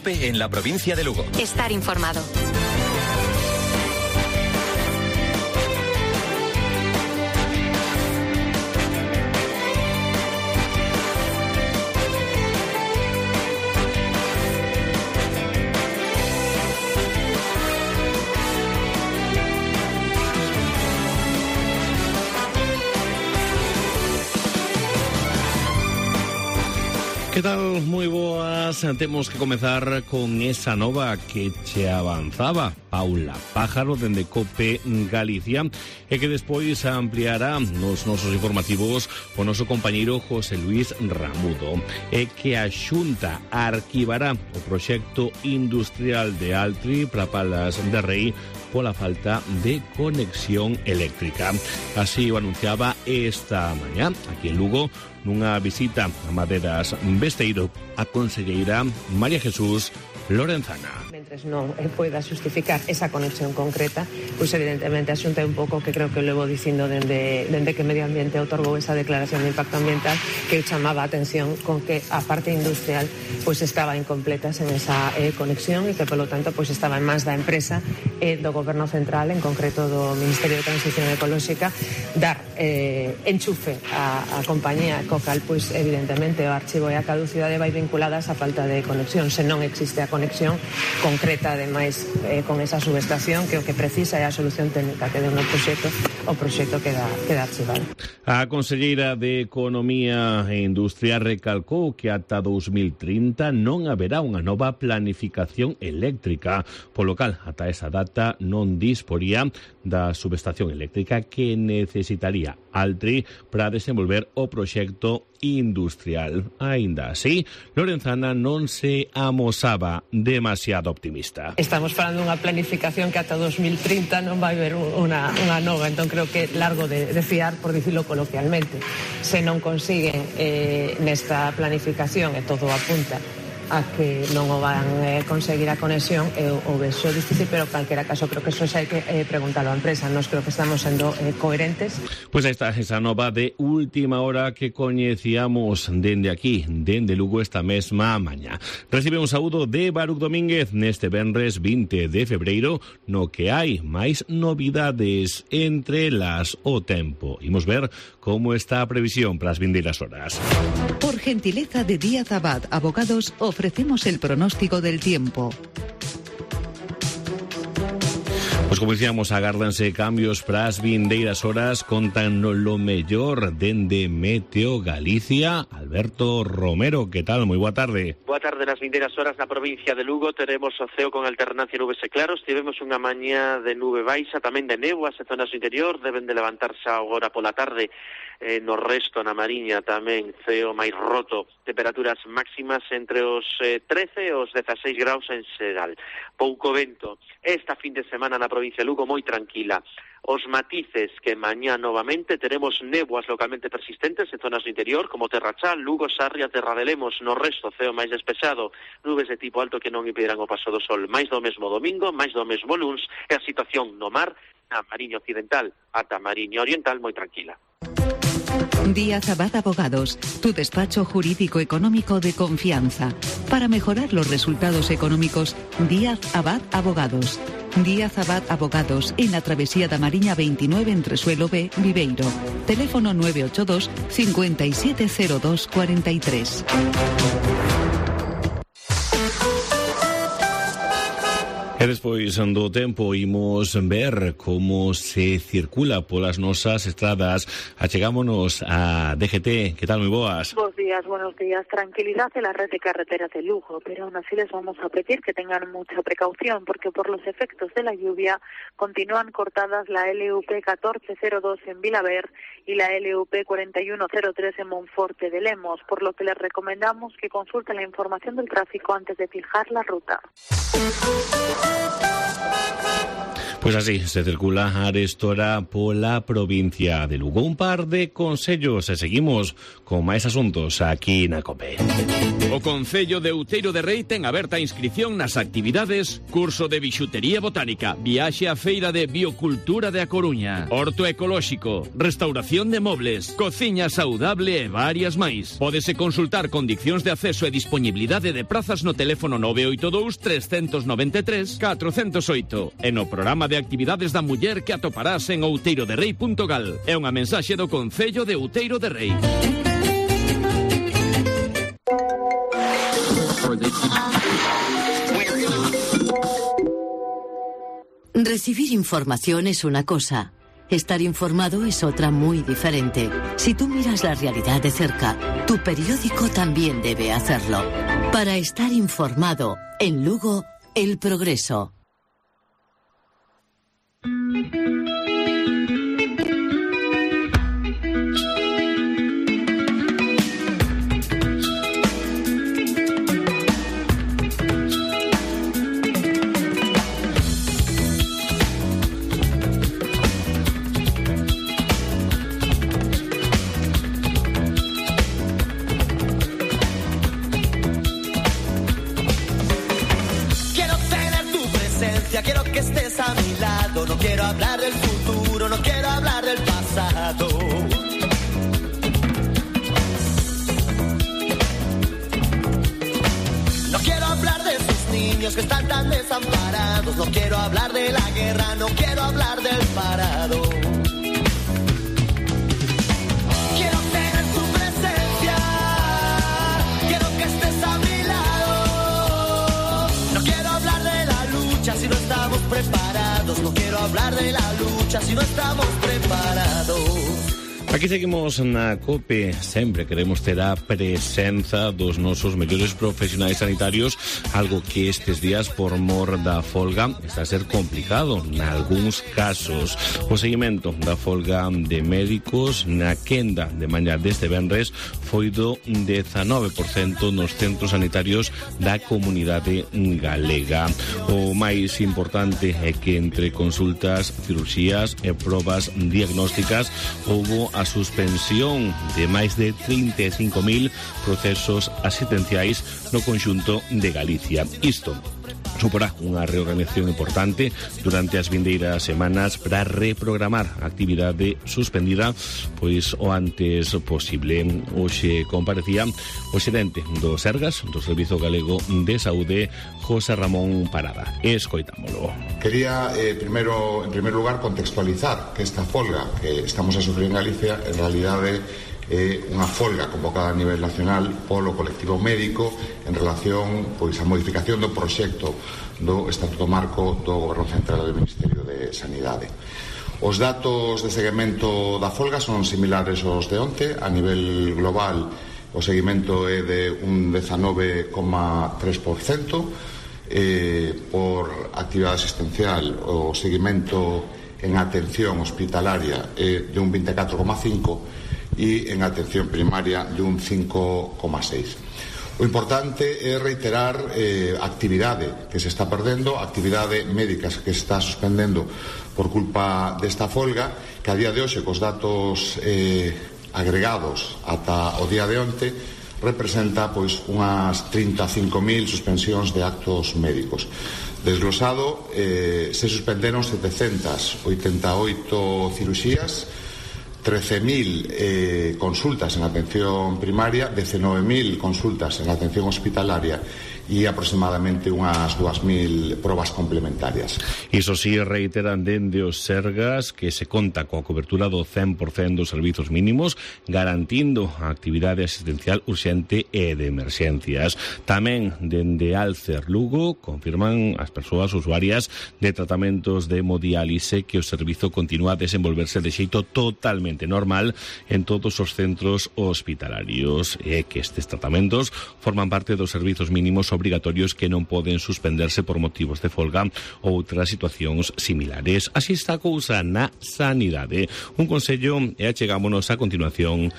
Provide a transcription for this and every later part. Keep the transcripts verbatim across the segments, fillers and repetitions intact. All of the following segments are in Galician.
COPE en la provincia de Lugo. Estar informado. Que tal? Moi boas. Temos que comezar con esa nova que che avanzaba Paula Pájaro dende COPE Galicia e que despois ampliará nos nosos informativos o noso compañeiro José Luis Ramudo, e que a Xunta arquivará o proxecto industrial de Altri para Palas de Rei pola falta de conexión eléctrica. Así o anunciaba esta mañá aquí en Lugo nunha visita a Maderas Besteiro a conselleira María Jesús Lorenzana. Mentres non poida justificar esa conexión concreta, pois evidentemente a Xunta é un pouco que creo que levo dicindo dende, dende que Medio Ambiente otorgou esa declaración de impacto ambiental, que chamaba a atención con que a parte industrial pois estaba incompleta sen esa eh, conexión e que polo tanto pois estaba en mans da empresa e eh, do Goberno Central, en concreto do Ministerio de Transición Ecolóxica, dar eh, enchufe a, a compañía co cal pois evidentemente o archivo e a caducidade vai vinculada a esa falta de conexión. Se non existe a conexión concreta, ademais, eh, con esa subestación, que o que precisa é a solución técnica que deu no proxecto, o proxecto queda, queda archivado. A conselleira de Economía e Industria recalcou que ata dos mil trinta non haberá unha nova planificación eléctrica. Polo cal, ata esa data non disporía da subestación eléctrica que necesitaría Altri para desenvolver o proxecto industrial. Aínda así, Lorenzana non se amosaba demasiado optimista. Estamos falando dunha planificación que ata dos mil trinta non vai haber unha, unha nova, entón creo que largo de, de fiar, por dicirlo coloquialmente. Se non consiguen eh, nesta planificación, e todo apunta a que non o van eh, conseguir a conexión, e o vexo difícil, pero en calquera caso creo que eso xa hai que eh, preguntarlo á empresa. Nos creo que estamos sendo eh, coherentes. Pois pues aí está esa nova de última hora que coñecíamos dende aquí, dende Lugo, esta mesma mañá. Recibe un saúdo de Baruch Domínguez neste venres vinte de febreiro, no que hai máis novidades, entre las o tempo. Imos ver como está a previsión para as vindeiras horas. Por gentileza de Díaz Abad Abogados, ofrecemos el pronóstico del tiempo. Pois como dicíamos, agárdanse cambios para as vindeiras horas. Contan lo mellor dende Meteo Galicia. Alberto Romero, que tal? Moi boa tarde. Boa tarde. Nas vindeiras horas na provincia de Lugo teremos o ceo con alternancia nubes e claros. Tivemos unha mañá de nube baixa, tamén de néboas en zonas do interior. Deben de levantarse agora pola tarde. Eh, no resto, na Mariña, tamén ceo máis roto. Temperaturas máximas entre os eh, trece e os dezaseis graus en xeral. Pouco vento. Esta fin de semana na provincia de Lugo moi tranquila. Os matices que mañá novamente teremos néboas localmente persistentes en zonas do interior, como Terrachal, Lugo, Sarria, Terra de Lemos. No resto, ceo máis despexado, nubes de tipo alto que non impedirán o paso do sol. Máis do mesmo domingo, máis do mesmo luns, e a situación no mar, na Mariña Occidental ata Mariña Oriental, moi tranquila. Díaz Abad Abogados, tu despacho jurídico económico de confianza. Para mejorar los resultados económicos, Díaz Abad Abogados. Díaz Abad Abogados, en la travesía da Mariña veintinueve entre Suelo B, Viveiro. Teléfono nueve ocho dos, cinco siete cero dos, cuatro tres. E despois do tempo imos ver como se circula polas nosas estradas. Achegámonos a D G T. Que tal, moi boas? Bos días, buenos días. Tranquilidad en la red de carreteras de Lugo, pero aún así les vamos a pedir que tengan mucha precaución, porque por los efectos de la lluvia continúan cortadas la L U P catorce cero dos en Vilaver y la L U P cuarenta y uno cero tres en Monforte de Lemos, por lo que les recomendamos que consulten la información del tráfico antes de fijar la ruta. Pues así se circula arestora pola provincia de Lugo. Un par de consellos e seguimos con máis asuntos aquí na COPE. O Concello de Outeiro de Rei ten aberta a inscripción nas actividades curso de bixutería botánica, viaxe á feira de biocultura de A Coruña, horto ecolóxico, restauración de mobles, cociña saudable e varias máis. Pódese consultar condicións de acceso e disponibilidade de prazas no teléfono nove oito dous, tres nove tres, catro zero oito e no programa de actividades da muller que atoparás en outeiro de rei punto gal. É unha mensaxe do Concello de Outeiro de Rei. Recibir información es una cosa. Estar informado es otra muy diferente. Si tú miras la realidad de cerca, tu periódico también debe hacerlo. Para estar informado, en Lugo, El Progreso. Quiero que estés a mi lado, no quiero hablar del futuro, no quiero hablar del pasado. No quiero hablar de esos niños que están tan desamparados, no quiero hablar de la guerra, no quiero hablar del parado. Quiero tener tu presencia, quiero que estés a mi lado. No quiero hablar de la lucha si no estamos preparados, no quiero hablar de la lucha si no estamos preparados. Aquí seguimos na COPE, sempre queremos ter a presenza dos nosos mellores profesionais sanitarios, algo que estes días por mor da folga está a ser complicado nalgúns casos. O seguimento da folga de médicos na quenda de mañá deste venres foi do dezanove por cento nos centros sanitarios da comunidade galega. O máis importante é que entre consultas, cirurxías e probas diagnósticas houbo a suspensión de máis de trinta e cinco mil procesos asistenciais no conxunto de Galicia. Isto suporá unha reorganización importante durante as vindeiras semanas para reprogramar a actividade suspendida pois o antes posible. Hoxe comparecía o xerente do Sergas, do Servizo Galego de Saúde, José Ramón Parada. Escoitámolo. Quería, eh, primero, en primer lugar, contextualizar que esta folga que estamos a sufrir en Galicia, en realidade, é unha folga convocada a nivel nacional polo colectivo médico en relación pois a modificación do proxecto do Estatuto Marco do Goberno Central do Ministerio de Sanidade. Os datos de seguimento da folga son similares aos de onte. A nivel global o seguimento é de un dezanove coma tres por cento. Eh, por actividade asistencial o seguimento en atención hospitalaria é de un vinte e catro coma cinco por cento e en atención primaria de un cinco coma seis por cento. O importante é reiterar eh, actividade que se está perdendo, actividade médica que se está suspendendo por culpa desta folga, que a día de hoxe, cos datos eh, agregados ata o día de onte, representa pois unhas trinta e cinco mil suspensións de actos médicos. Desglosado, eh, se suspenderon setecentas oitenta e oito cirurxías, trece mil eh, consultas en atención primaria, dezenove mil consultas en atención hospitalaria e aproximadamente unhas dúas mil probas complementarias. Iso sí, reiteran dende os Sergas que se conta coa cobertura do cen por cento dos servizos mínimos, garantindo a actividade asistencial urxente e de emerxencias. Tamén dende Alcer Lugo confirman as persoas usuarias de tratamentos de hemodiálise que o servizo continúa a desenvolverse de xeito totalmente normal en todos os centros hospitalarios e que estes tratamentos forman parte dos servizos mínimos obrigatorios que non poden suspenderse por motivos de folga ou outras situacións similares. Así está a cousa na sanidade. Un consello e achegámonos a continuación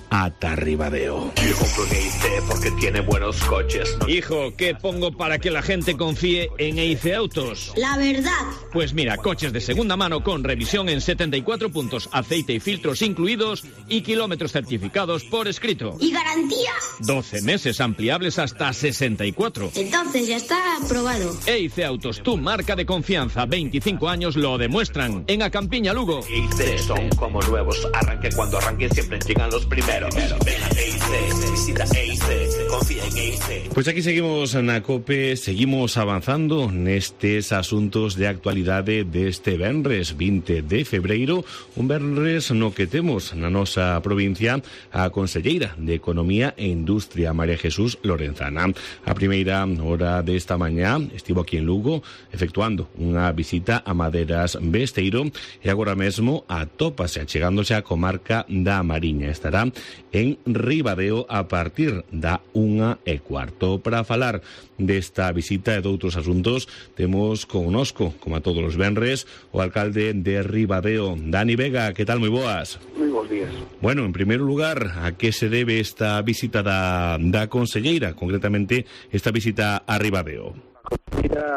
ata Ribadeo. Yo compro en E I C porque tiene buenos coches. Hijo, ¿qué pongo para que la gente confíe en E I C Autos? La verdad. Pues mira, coches de segunda mano con revisión en setenta y cuatro puntos, aceite y filtros incluidos y kilómetros certificados por escrito. ¿Y garantía? doce meses ampliables hasta sesenta y cuatro. Entonces ya está aprobado. E I C Autos, tu marca de confianza. veinticinco años lo demuestran. En Acampiña, Lugo. E I C son como nuevos. Arranque cuando arranque, siempre llegan los primeros. Ven a E I C, visita E I C, confía en E I C. Pois aquí seguimos na COPE, seguimos avanzando nestes asuntos de actualidade deste venres vinte de febreiro, un venres no que temos na nosa provincia a conselleira de Economía e Industria, María Jesús Lorenzana. A primeira hora desta mañá estivo aquí en Lugo efectuando unha visita a Maderas Besteiro e agora mesmo atópase achegándose á comarca da Mariña. Estará en Ribadeo a partir da unha e cuarto. Para falar desta visita e de outros asuntos temos connosco, como a todos os venres, o alcalde de Ribadeo, Dani Vega. Que tal? Moi boas. Moi bons días. Bueno, en primeiro lugar, a que se debe esta visita da, da conselleira, concretamente esta visita a Ribadeo? A conselleira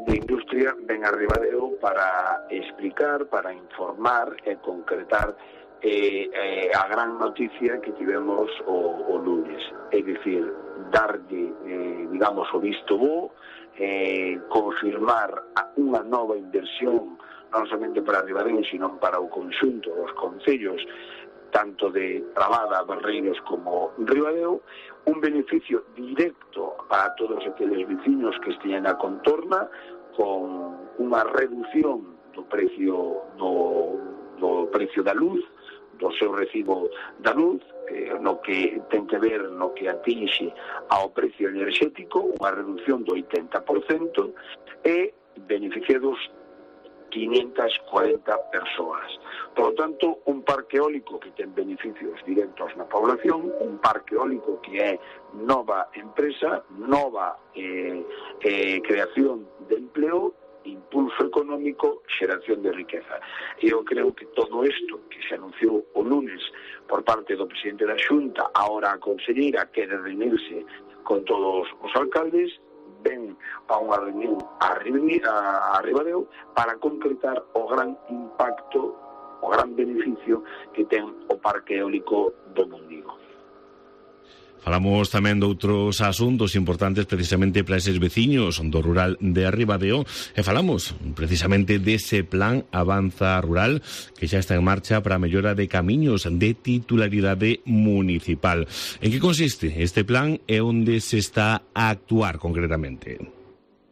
de Industria ven a Ribadeo para explicar, para informar e concretar Eh, eh, a gran noticia que tivemos o, o lunes, é dicir, darlle, eh, digamos, o visto bo, eh, confirmar unha nova inversión non somente para Ribadeo, sino para o conxunto dos concellos, tanto de Trabada, Barreiros como Ribadeo, un beneficio directo para todos aqueles veciños que estean na contorna, con unha reducción do precio do, do precio da luz, do seu recibo da luz, eh, no que ten que ver no que atinxe ao precio enerxético, unha reducción do oitenta por cento, e beneficiados quinientas cuarenta persoas. Por lo tanto, un parque eólico que ten beneficios directos na población, un parque eólico que é nova empresa, nova eh, eh, creación de empleo, impulso económico, xeración de riqueza. E eu creo que todo isto que se anunciou o lunes por parte do presidente da Xunta, ahora a conselleira quere reunirse con todos os alcaldes, ven a unha reunión a Ribadeo para concretar o gran impacto, o gran beneficio que ten o parque eólico do Mundigo. Falamos tamén de outros asuntos importantes precisamente para eses veciños do rural de Ribadeo e falamos precisamente dese plan Avanza Rural que xa está en marcha para a mellora de camiños de titularidade municipal. En que consiste este plan e onde se está a actuar concretamente?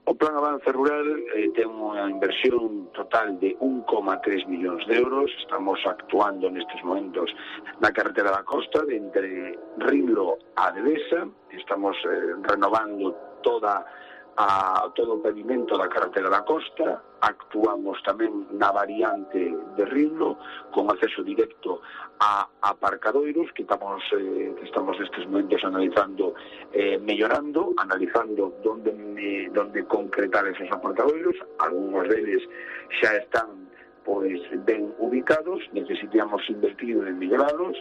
O Plan Avanza Rural eh, ten unha inversión total de un coma tres millóns de euros. Estamos actuando nestes momentos na carretera da costa, de entre Rinlo a Devesa. Estamos eh, renovando toda a todo o pavimento da carretera da costa. Actuamos tamén na variante de Rinlo con acceso directo a aparcadoiros que estamos eh, que estamos nestes momentos analizando, eh, mellorando, analizando donde me, donde concretar esos aparcadoiros. Algúns deles xa están pois ben ubicados, necesitamos invertir en mellorarlos,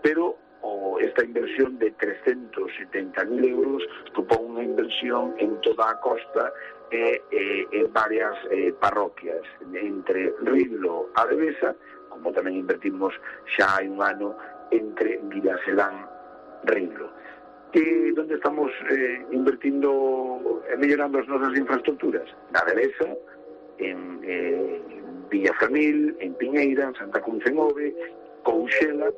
pero o esta inversión de trescentos setenta mil euros supón unha inversión en toda a costa e eh, en varias eh, parroquias, entre Rinlo a Devesa, como tamén invertimos xa hai un ano entre Vilaselán e Rinlo. E onde estamos eh, invertindo e mellorando as nosas infraestructuras? Na Devesa, en eh, Villafamil, en Piñeira, en Santa Cruz en Ove, Couxela.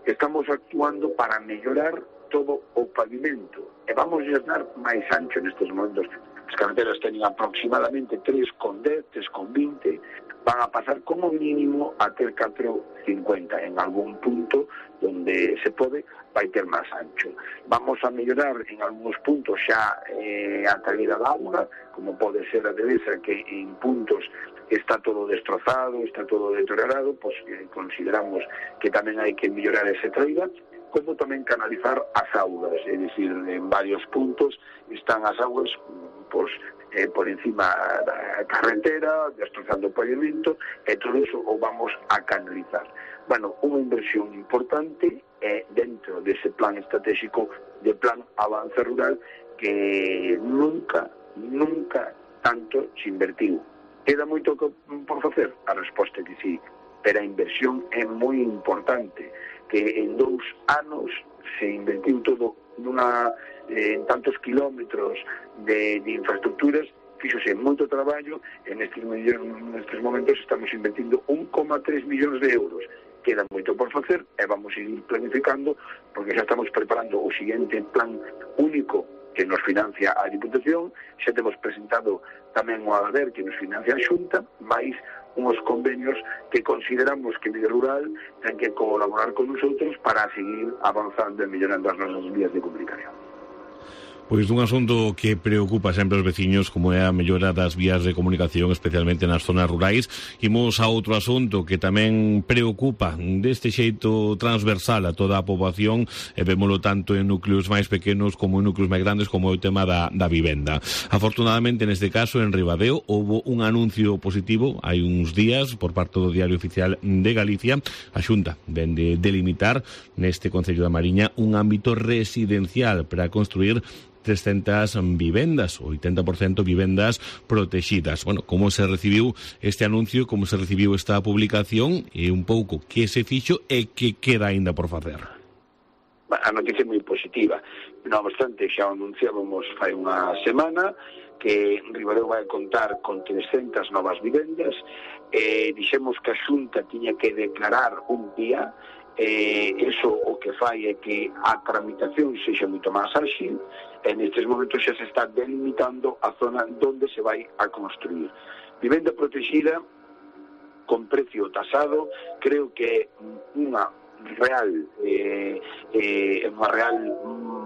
Estamos actuando para mellorar todo o pavimento e vamos a dar máis ancho nestes momentos. As carreteras teñen aproximadamente tres con dez, tres con vinte, van a pasar como mínimo a ter catro con cincuenta. En algún punto donde se pode vai ter máis ancho. Vamos a mellorar en algúns puntos xa eh, a salida da auga, como pode ser a Devesa, que en puntos está todo destrozado, está todo deteriorado, pois eh, consideramos que tamén hai que mellorar ese traída. como tamén canalizar as augas, é dicir, en varios puntos están as augas pois, eh, por encima da carretera, destrozando o pavimento, e todo iso o vamos a canalizar. Bueno, unha inversión importante é dentro dese plan estratégico de plan avance rural que nunca, nunca tanto se invertiu. Queda moito por facer? A resposta é que sí, pero a inversión é moi importante, que en dous anos se invertiu todo nunha, eh, en tantos kilómetros de, de infraestructuras, fíxose moito traballo, en estes, nestes momentos estamos invertindo un coma tres millóns de euros. Queda moito por facer e vamos a ir planificando, porque xa estamos preparando o seguinte plan único que nos financia a Diputación, xa temos presentado tamén o ADADER que nos financia a Xunta, máis unos convenios que consideramos que Medio Rural ten que colaborar con nosotros para seguir avanzando e mellorando as nosas vías de comunicación. Pois dun asunto que preocupa sempre aos veciños, como é a mellora das vías de comunicación, especialmente nas zonas rurais. Imos a outro asunto que tamén preocupa deste xeito transversal a toda a poboación, e vémolo tanto en núcleos máis pequenos como en núcleos máis grandes, como é o tema da, da vivenda. Afortunadamente, neste caso, en Ribadeo, houve un anuncio positivo hai uns días por parte do Diario Oficial de Galicia. A Xunta ven de delimitar neste Concello da Mariña un ámbito residencial para construir trescentas vivendas, oitenta por cento vivendas protegidas. Bueno, como se recibiu este anuncio, como se recibiu esta publicación, e un pouco que se fixo e que queda aínda por facer? A noticia é moi positiva. Non obstante, xa anunciábamos fai unha semana que Ribadeo vai contar con trescentas novas vivendas, e dixemos que a Xunta tiña que declarar un día. Eh, eso o que fai é que a tramitación sexa moito máis áxil, e nestes momentos xa se está delimitando a zona onde se vai a construir. Vivenda protegida con precio tasado, creo que é unha real eh, eh, unha real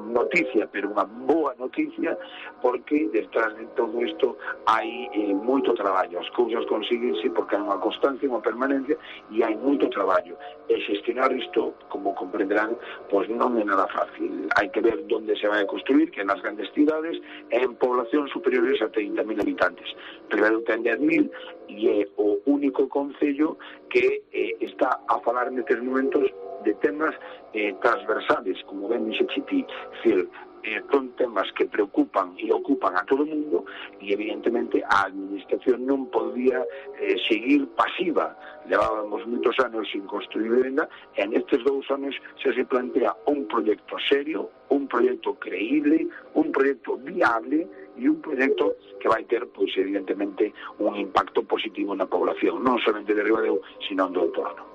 noticia, pero unha boa noticia, porque detrás de todo isto hai eh, moito traballo. As cousas consíguense porque hai unha constancia, unha permanencia, e hai moito traballo. E xestionar isto, como comprenderán, pois non é nada fácil. Hai que ver onde se vai a construir, que nas grandes cidades, e en poblacións superiores a trinta mil habitantes. Ribadeo ten dez mil, e é o único concello que eh, está a falar nestes momentos de temas eh, transversales, como ben dixe Chiti, decir, eh, son temas que preocupan e ocupan a todo o mundo, e evidentemente a administración non podía eh, seguir pasiva. Levábamos moitos anos sin construir vivenda, e nestes dous anos se se plantea un proxecto serio, un proxecto creíble, un proxecto viable, e un proxecto que vai ter, pois, evidentemente, un impacto positivo na población, non somente de Ribadeo, sino do entorno.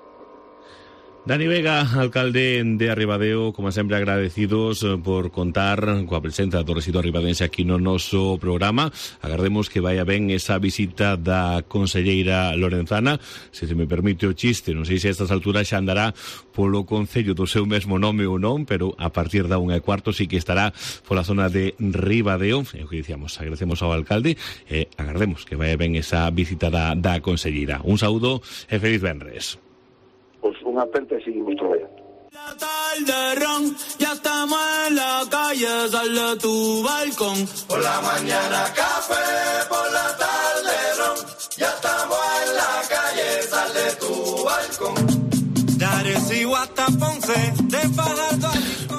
Dani Vega, alcalde de Ribadeo, como sempre agradecidos por contar coa presenza do residuo ribadense aquí no noso programa. Agardemos que vaya ben esa visita da conselleira Lorenzana. Se se me permite o chiste, non sei se a estas alturas xa andará polo concello do seu mesmo nome ou non, pero a partir da unha e cuarto sí que estará pola zona de Ribadeo. É o que dicíamos, agradecemos ao alcalde e agardemos que vaya ben esa visita da, da conselleira. Un saúdo e feliz venres. Pues unha aperta e seguimos traballando. La tarde ron, ya estamos en la calle, sal de tu balcón. Por la mañana café, por la tarde ron, ya estamos en la calle, sal de tu balcón. De Arecibo hasta Ponce, de Fajardo a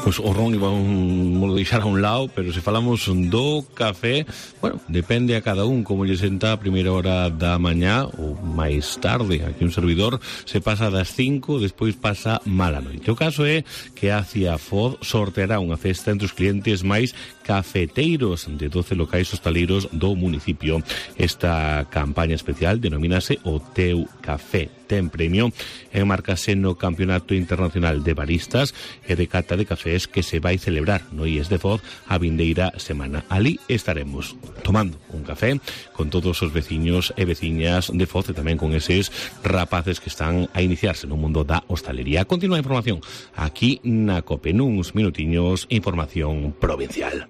Pois o ron iba un, lo deixar a un lado, pero se falamos do café, bueno, depende a cada un como lle senta a primeira hora da mañá ou máis tarde. Aquí un servidor se pasa das cinco, despois pasa mala noite. O caso é que a Ciafoz sorteará unha festa entre os clientes máis cafeteiros de doce locais hostaleiros do municipio. Esta campaña especial denomínase O Teu Café. Ten premio e marcase no Campeonato Internacional de Baristas e de Cata de Cafés que se vai celebrar no I E S de Foz a vindeira semana. Ali estaremos tomando un café con todos os veciños e veciñas de Foz, e tamén con eses rapaces que están a iniciarse no mundo da hostalería. Continúa a información aquí na COPE, nuns minutiños, información provincial.